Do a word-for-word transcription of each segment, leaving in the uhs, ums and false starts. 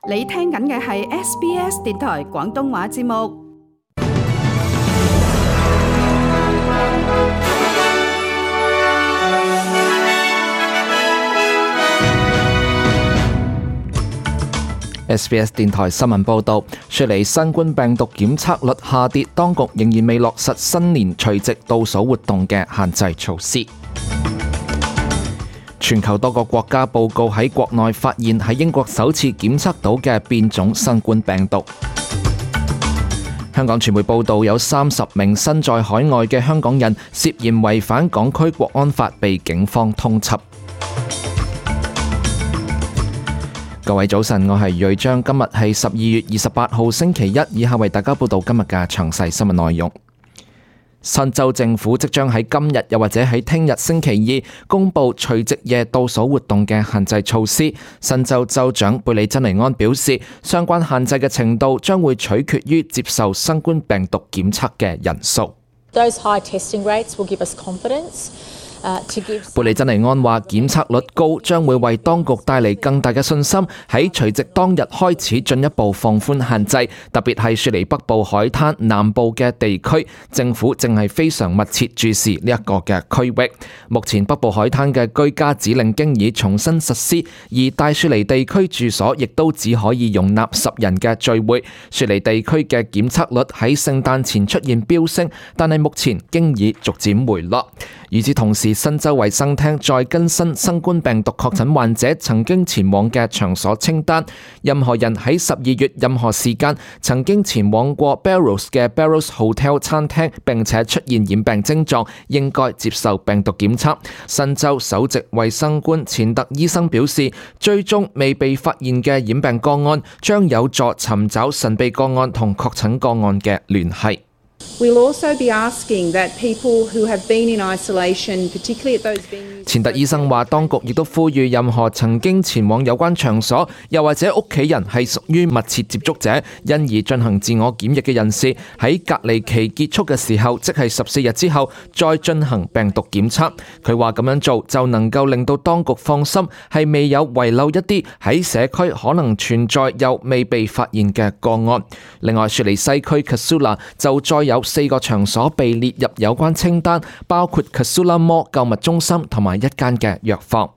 你聽緊嘅係 S B S 電台廣東話節目。S B S 電台新聞報導，雪梨新冠病毒檢測率下跌，當局仍然未落實新年除夕倒數活動嘅限制措施。全球多個國家報告喺國內發現喺英國首次檢測到嘅變種新冠病毒。香港傳媒報導，有三十名身在海外嘅香港人涉嫌違反港區國安法，被警方通緝。各位早晨，我係瑞章，今日係十二月二十八號星期一，以下為大家報道今日嘅詳細新聞內容。新州政府即將喺今日又或者喺聽日星期二公布除夕夜倒數活動嘅限制措施。新州州長貝里珍尼安表示，相關限制嘅程度將會取決於接受新冠病毒檢測嘅人數。Those high testing rates will give us confidence. 貝里珍尼安話，檢測率高將會為當局帶嚟更大嘅信心，喺除夕當日開始進一步放寬限制，特別係雪梨北部海灘南部嘅地區，政府正係非常密切注視呢一個嘅區域。目前北部海灘嘅居家指令經已重新實施，而大雪梨地區住所亦都只可以容納十人嘅聚會。雪梨地區嘅檢測率喺聖誕前出現飆升，但係目前經已逐漸回落。與此同時，新州衛生廳再更新新冠病毒確診患者曾經前往嘅場所清單，任何人喺十二月任何時間曾經前往過 Barrows 嘅 Barrows Hotel 餐廳並且出現染病症狀，應該接受病毒檢測。新州首席衛生官錢特醫生表示，追蹤未被發現嘅染病個案將有助尋找神秘個案同確診個案嘅聯繫。We'll also be asking that people who have been in isolation, particularly at those venues. 錢特醫生話，當局亦都呼籲任何曾經前往有關場所，又或者屋企人係屬於密切接觸者，因而進行自我檢疫嘅人士，喺隔離期結束嘅時候，即係十四日之後，再進行病毒檢測。佢話咁樣做就能夠令到當局放心，係未有遺漏一啲喺社區可能存在又未被發現嘅個案。另外，雪梨西區 Casula 就再有四個場所被列入有關清單，包括 Casula Mall 購物中心同埋一間嘅藥房。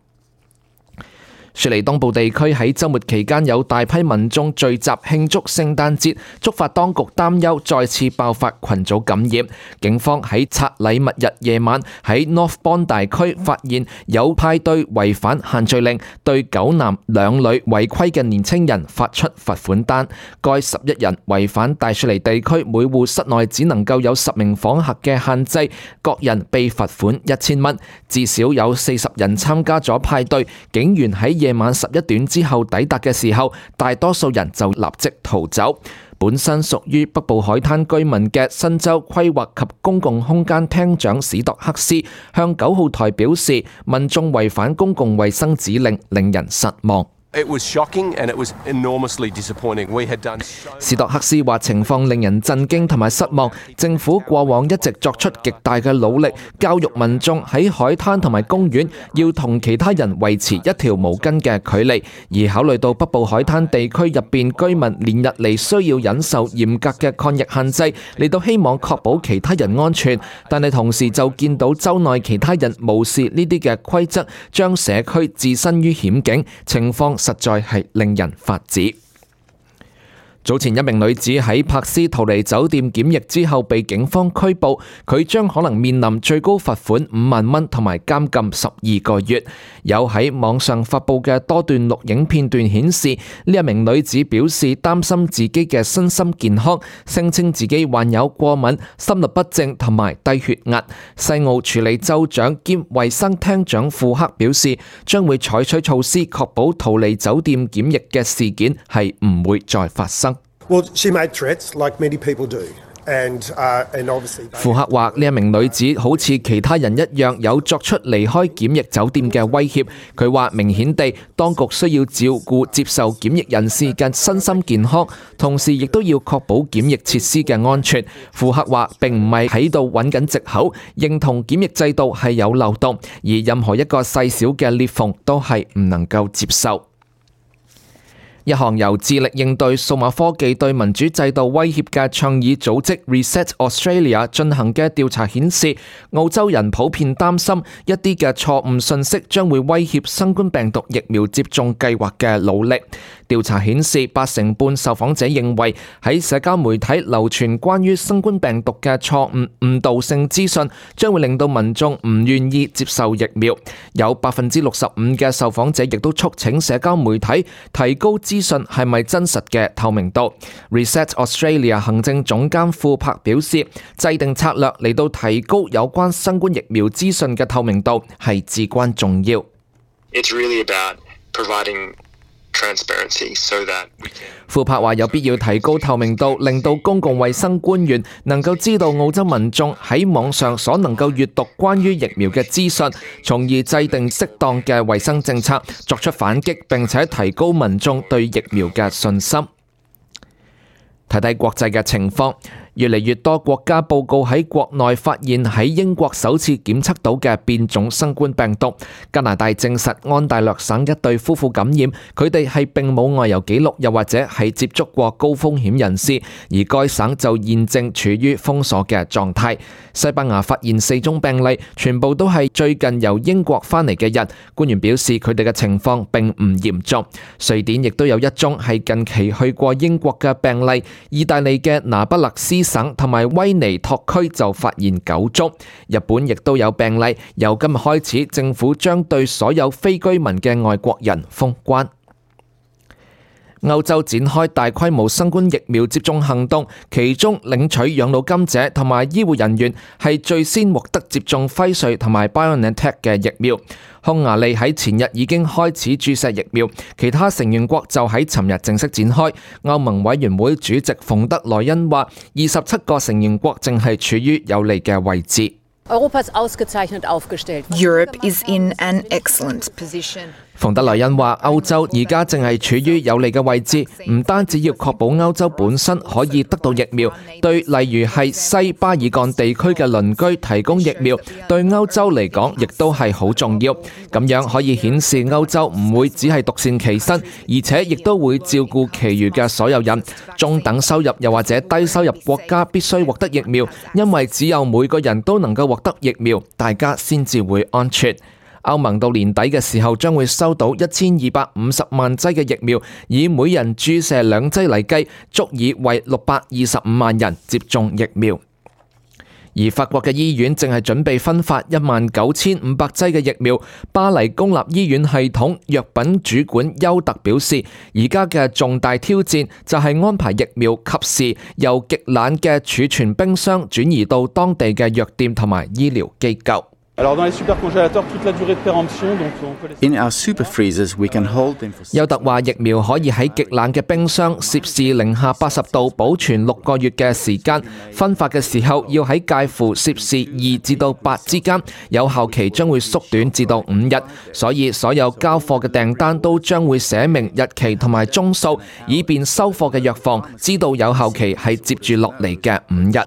雪梨東部地區喺週末期間有大批民眾聚集慶祝聖誕節，觸發當局擔憂再次爆發群組感染。警方喺拆禮物日夜晚喺 North Bondi 區發現有派對違反限聚令，對九男兩女違規嘅年青人發出罰款單。該十一人違反大雪梨地區每戶室內只能夠有十名訪客嘅限制，各人被罰款一千蚊。至少有四十人參加咗派對，警員喺夜晚十一點之後抵達嘅時候，大多數人就立即逃走。本身屬於北部海灘居民嘅新州規劃及公共空間廳長史特克斯向九號台表示，民眾違反公共衛生指令令人失望。It was shocking and it was enormously disappointing. We had done so... 史特克斯話情況令人震驚同埋失望，政府過往一直作出極大嘅努力，教育民眾喺海灘同埋公園要同其他人維持一條毛巾嘅距離，而考慮到北部海灘地區入邊居民連日嚟需要忍受嚴格嘅抗疫限制，嚟到希望確保其他人安全，但係同時就見到州內其他人無視呢啲嘅規則，將社區置身於險境，情況實在係令人髮指。早前一名女子喺柏斯逃離酒店檢疫之後被警方拘捕，佢將可能面臨最高罰款五萬蚊同埋監禁十二個月。有喺網上發布嘅多段錄影片段顯示，呢一名女子表示擔心自己嘅身心健康，聲稱自己患有過敏、心律不正同埋低血壓。西澳處理州長兼衛生廳長庫克表示，將會採取措施確保逃離酒店檢疫嘅事件係唔會再發生。Well, she made threats like many people do. And, uh, and obviously... 庫克話呢一名女子好似其他人一樣有作出離開檢疫酒店嘅威脅。佢話明顯地當局需要照顧接受檢疫人士嘅身心健康，同時亦都要確保檢疫設施嘅安全。庫克話並唔係喺度揾緊藉口，認同檢疫制度係有漏洞，而任何一個細小嘅裂縫都係唔能夠接受。一項由致力應對數碼科技對民主制度威脅嘅倡議組織 Reset Australia 進行嘅調查顯示，澳洲人普遍擔心一啲嘅錯誤信息將會威脅新冠病毒疫苗接種計劃嘅努力。調查顯示，八成半受訪者認為喺社交媒體流傳關於新冠病毒嘅錯誤誤導性資訊，將會令到民眾唔願意接受疫苗。有百分之六十五嘅受訪者亦都促請社交媒體提高資訊係咪真實嘅透明度。Reset Australia 行政總監庫珀表示，制定策略嚟到提高有關新冠疫苗資訊嘅透明度係至關重要。It's really about providing transparency so that we can... 庫珀話有必要提高透明度，令到公共衛生官員能夠知道澳洲民眾喺網上所能夠閱讀關於疫苗嘅資訊，從而制定適當嘅衛生政策，作出反擊，並且提高民眾對疫苗嘅信心。睇睇國際嘅情況，越嚟越多國家報告喺國內發現喺英國首次檢測到嘅變種新冠病毒。加拿大證實安大略省一對夫婦感染，佢哋係並冇外遊記錄，又或者係接觸過高風險人士，而該省就現正處於封鎖嘅狀態。西班牙發現四宗病例，全部都係最近由英國返嚟嘅人，官員表示佢哋嘅情況並唔嚴重。瑞典亦都有一宗係近期去過英國嘅病例，意大利嘅那不勒斯省同埋威尼托區就發現九宗，日本亦都有病例。由今日開始，政府將對所有非居民嘅外國人封關。歐洲展開大規模新冠疫苗接種行動，其中領取養老金者同埋醫護人員係最先獲得接種輝瑞同埋 BioNTech 嘅疫苗。匈牙利喺前日已經開始注射疫苗，其他成員國就喺尋日正式展開。歐盟委員會主席馮德萊恩話，二十七個成員國正係處於有利嘅位置。Europe is in an excellent position. 馮德萊恩話：歐洲而家正係處於有利嘅位置，唔單止要確保歐洲本身可以得到疫苗，對例如係西巴爾幹地區嘅鄰居提供疫苗，對歐洲嚟講亦都係好重要。咁樣可以顯示歐洲唔會只係獨善其身，而且亦都會照顧其餘嘅所有人。中等收入又或者低收入國家必須獲得疫苗，因為只有每個人都能夠獲得疫苗，大家先至會安全。歐盟到年底嘅時候將會收到一千二百五十萬劑嘅疫苗，以每人注射兩劑嚟計，足以為六百二十五萬人接種疫苗。而法國嘅醫院正係準備分發一萬九千五百劑嘅疫苗。巴黎公立醫院系統藥品主管邱特表示，而家嘅重大挑戰就係安排疫苗及時由極冷嘅儲存冰箱轉移到當地嘅藥店同埋醫療機構。In our super freezers, we can hold them for... 邱特話：疫苗可以喺極冷嘅冰箱攝氏零下八十度保存六個月嘅時間，分發嘅時候要喺介乎攝氏二至到八之間，有效期將會縮短至到五日。所以所有交貨嘅訂單都將會寫明日期同埋宗數，以便收貨嘅藥房知道有效期係接住落嚟嘅五日。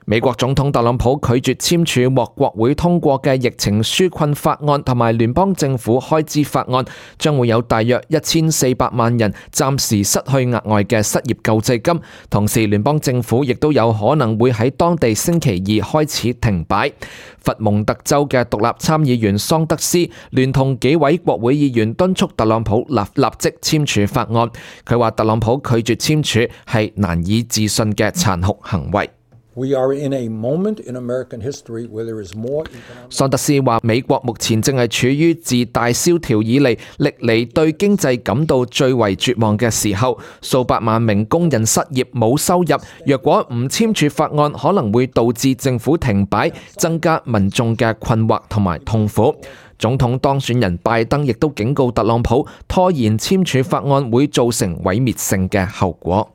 美國總統特朗普拒絕簽署獲國會通過嘅疫情紓困法案同埋聯邦政府開支法案，將會有大約一千四百萬人暫時失去額外嘅失業救濟金，同時聯邦政府亦都有可能會喺當地星期二開始停擺。佛蒙特州嘅獨立參議員桑德斯聯同幾位國會議員敦促特朗普立立即簽署法案，佢話特朗普拒絕簽署係難以置信嘅殘酷行為。We are in a moment in American history where there is more economic... 桑德斯話：美國目前正係處於自大蕭條以嚟歷嚟對經濟感到最為絕望嘅時候，數百萬名工人失業冇收入。若果唔簽署法案，可能會導致政府停擺，增加民眾嘅困惑同埋痛苦。總統當選人拜登亦都警告特朗普，拖延簽署法案會造成毀滅性嘅後果。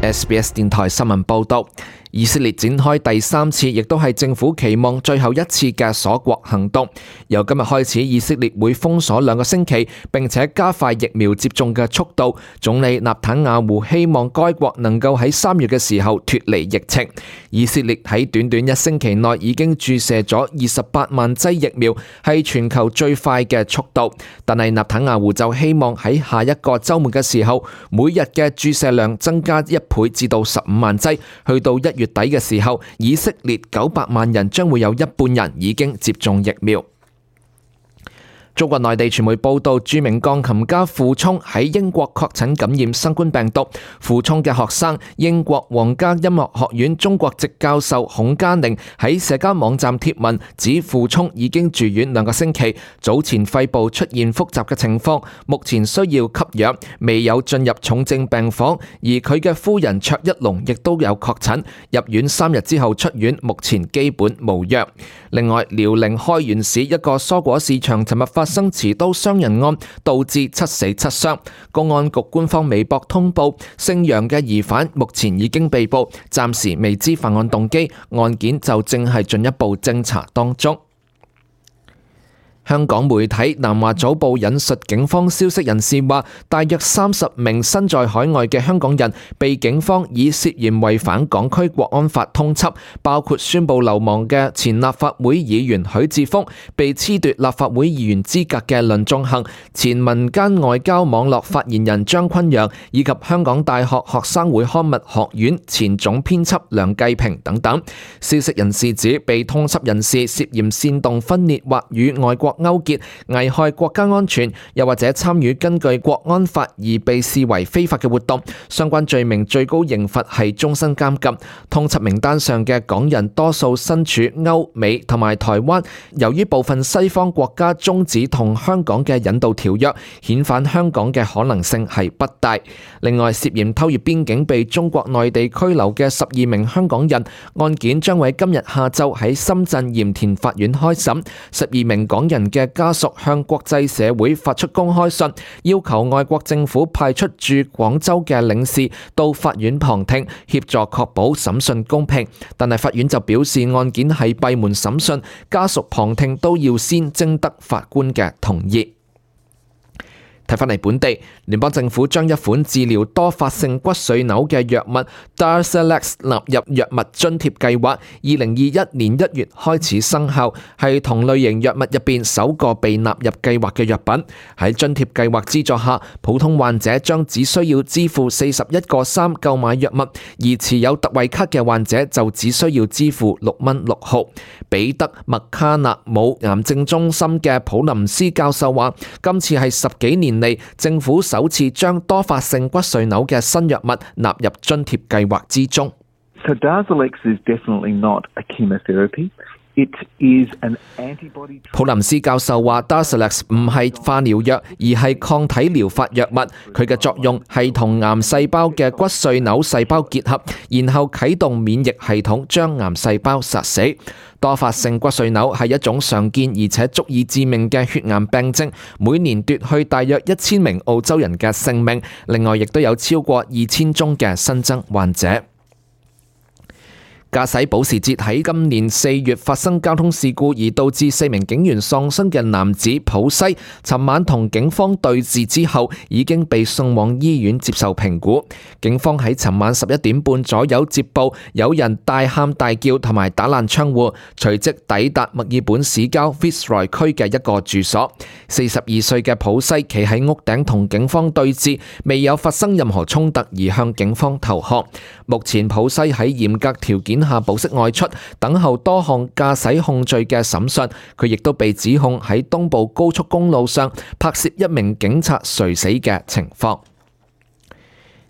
S B S 電台新聞報道，以色列展開第三次，亦都係政府期望最後一次嘅鎖國行動。由今日開始，以色列會封鎖兩個星期，並且加快疫苗接種嘅速度。總理納坦雅胡希望該國能夠喺三月嘅時候脫離疫情。以色列喺短短一星期內已經注射咗二十八萬劑疫苗，係全球最快嘅速度。但係納坦雅胡就希望喺下一個週末嘅時候，每日嘅注射量增加一倍至到十五萬劑，去到一月底嘅時候，以色列九百萬人將會有一半人已經接種疫苗。中國內地傳媒報道，著名鋼琴家傅聰喺英國確診感染新冠病毒。傅聰嘅學生、英國皇家音樂學院中國籍教授孔嘉寧喺社交網站貼文指，傅聰已經住院兩個星期，早前肺部出現複雜嘅情況，目前需要吸氧，未有進入重症病房。而佢嘅夫人卓一龍亦都有確診，入院三日之後出院，目前基本無恙。另外，遼寧開原市一個蔬果市場尋日發生持刀傷人案，導致七死七傷。公安局官方微博通報，姓楊嘅疑犯目前已經被捕，暫時未知犯案動機，案件就正係進一步偵查當中。香港媒體南華早報引述警方消息人士話，大約三十名身在海外嘅香港人被警方以涉嫌違反港區國安法通緝，包括宣布流亡嘅前立法會議員許智峰、被褫奪立法會議員資格嘅倫頌恆、前民間外交網絡發言人張坤陽，以及香港大學學生會刊物學院前總編輯梁繼平等等。消息人士指，被通緝人士涉嫌煽動分裂或與外國勾結、危害國家安全，又或者參與根據國安法而被視為非法嘅活動，相關罪名最高刑罰係終身監禁。通緝名單上嘅港人多數身處歐美同埋台灣，由於部分西方國家終止同香港嘅引渡條約，遣返香港嘅可能性係不大。另外，涉嫌偷越邊境被中國內地拘留嘅十二名香港人，案件將會今日下晝喺深圳鹽田法院開審。十二名港人嘅家屬向國際社會發出公開信，要求外國政府派出駐廣州嘅領事到法院旁聽，協助確保審訊公平。但係法院就表示，案件係閉門審訊，家屬旁聽都要先徵得法官嘅同意。睇返嚟本地，聯邦政府將一款治療多發性骨髓瘤嘅藥物 Darzalex 納入藥物津貼計劃，二零二一年一月開始生效，係同類型藥物入邊首個被納入計劃嘅藥品。喺津貼計劃資助下，普通患者將只需要支付四十一個三購買藥物，而持有特惠卡嘅患者就只需要支付六蚊六毫。彼得麥卡納姆癌症中心嘅普林斯教授話，今次係十幾年嚟政府首次將多發性骨髓瘤嘅新藥物納入津貼計劃之中。So Darzalex is definitely not a chemotherapy. It is an antibody. 普林斯教授話 Darzalex 唔係化療藥，而係抗體療法藥物。佢嘅作用係同癌細胞嘅骨髓瘤細胞結合，然後啟動免疫系統將癌細胞殺死。多發性骨髓瘤係一種常見而且足以致命嘅血癌病症，每年奪去大約一千名澳洲人嘅性命。另外，亦都有超過二千宗嘅新增患者。駕駛保時捷喺今年四月發生交通事故而導致四名警員喪生嘅男子普西，尋晚同警方對峙之後，已經被送往醫院接受評估。警方喺尋晚十一點半左右接報，有人大喊大叫同埋打爛窗戶，隨即抵達墨爾本市郊 Fitzroy 區嘅一個住所。四十二歲嘅普西企喺屋頂同警方對峙，未有發生任何衝突而向警方投降。目前普西喺嚴格條件下保釋外出，等候多項駕駛控罪嘅審訊。佢亦都被指控喺東部高速公路上拍攝一名警察垂死嘅情況。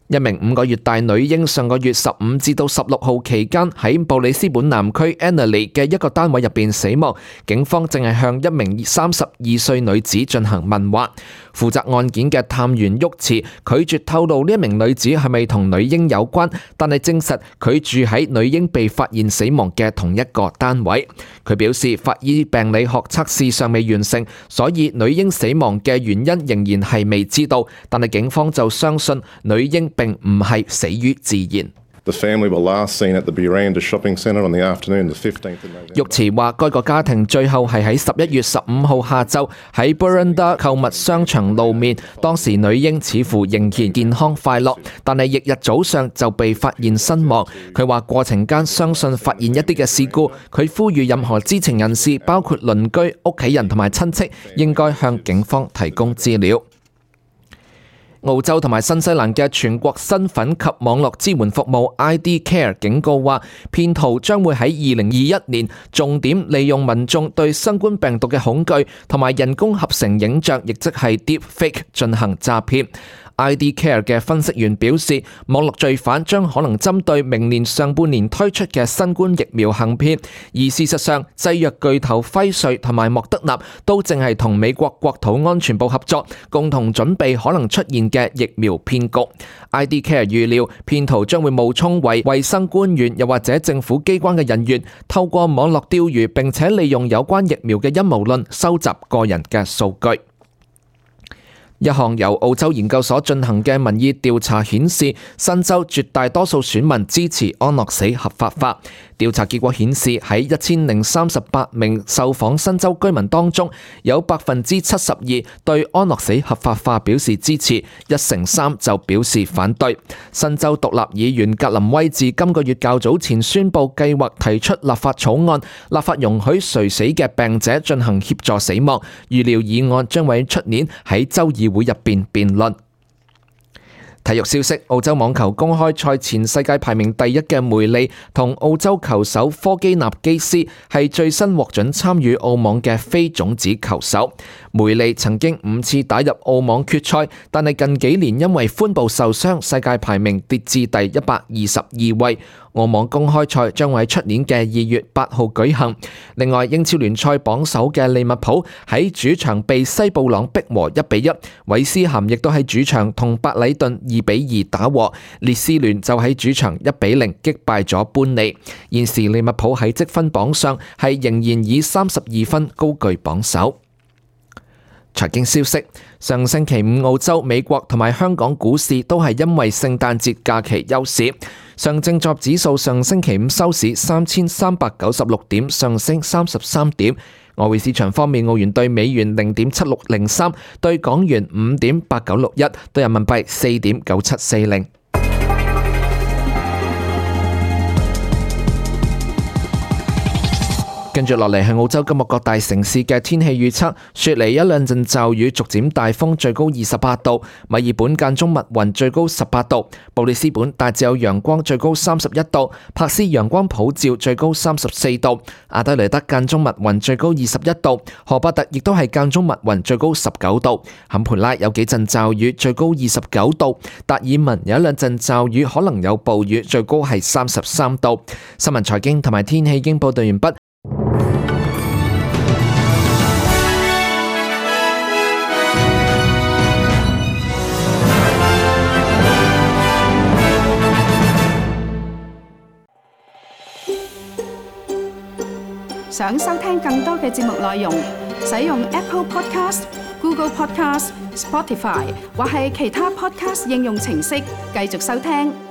一名五個月大女嬰上個月十五至到十六號期間喺布里斯本南區 Annerley 嘅一個單位入邊死亡。警方正係向一名三十二歲女子進行問話。負責案件嘅探員沃茨拒絕透露呢一名女子係咪同女嬰有關，但係證實佢住喺女嬰被發現死亡嘅同一個單位。佢表示法醫病理學測試尚未完成，所以女嬰死亡嘅原因仍然係未知道，但係警方就相信女嬰並唔係死於自然。The family were last seen at the Buranda Shopping Centre on the afternoon of the fifteenth of November. 玉慈話：該個家庭最後係喺十一月十五號下晝喺 Buranda 購物商場露面，當時女嬰似乎仍然健康快樂，但係翌日早上就被發現身亡。佢話過程間相信發現一啲嘅事故，佢呼籲任何知情人士，包括鄰居、屋企人同埋親戚，應該向警方提供資料。澳洲同埋新西蘭嘅全國身份及網絡支援服務 I D Care 警告話，騙徒將會喺二零二一年重點利用民眾對新冠病毒嘅恐懼同埋人工合成影像，亦即係 Deepfake 進行詐騙。I D Care 嘅分析員表示，網絡罪犯將可能針對明年上半年推出嘅新冠疫苗行騙，而事實上，製藥巨頭輝瑞同埋莫德納都正係同美國國土安全部合作，共同準備可能出現嘅疫苗騙局。I D Care 預料，騙徒將會冒充為衛生官員又或者政府機關嘅人員，透過網絡釣魚並且利用有關疫苗嘅陰謀論收集個人嘅數據。一項由澳洲研究所進行嘅民意調查顯示，新州絕大多數選民支持安樂死合法化。調查結果顯示，喺一千零三十八名受訪新州居民當中，有百分之七十二對安樂死合法化表示支持，一成三就表示反對。新州獨立議員格林威治今個月較早前宣布計劃提出立法草案，立法容許垂死嘅病者進行協助死亡。預料議案將會出年喺州議會入邊辯論。體育消息：澳洲網球公開賽前世界排名第一嘅梅利同澳洲球手科基納基斯係最新獲准參與澳網嘅非種子球手。梅利曾經五次打入澳網決賽，但係近幾年因為髖部受傷，世界排名跌至第一百二十二位。澳網公開賽將會喺出年嘅二月八號舉行。另外，英超聯賽榜首嘅利物浦喺主場被西布朗逼和一比一，韋斯咸亦都喺主場同白禮頓二比二打和，列斯聯就喺主場一比零擊敗咗般尼。現時利物浦喺積分榜上係仍然以三十二分高居榜首。財經消息：上星期五，澳洲、美國同埋香港股市都係因為聖誕節假期休市。上證綜合指數上星期五收市三千三百九十六點，上升三十三點。外匯市場方面，澳元對美元零點七六零三，對港元五點八九六一，對人民幣四點九七四零。跟住落嚟係澳洲今日各大城市嘅天氣預測：雪梨一兩陣驟雨，逐漸大風，最高二十八度；墨爾本間中密雲，最高十八度；布里斯本大致有陽光，最高三十一度；珀斯陽光普照，最高三十四度；阿德雷德間中密雲，最高二十一度；荷伯特亦都係間中密雲，最高十九度；坎培拉有幾陣驟雨，最高二十九度；達爾文有一兩陣驟雨，可能有暴雨，最高係三十三度。新聞財經同埋天氣已經報道完畢。想收聽更多嘅節目內容，使用 Apple Podcast、Google Podcast、Spotify 或係其他 Podcast 應用程式繼續收聽。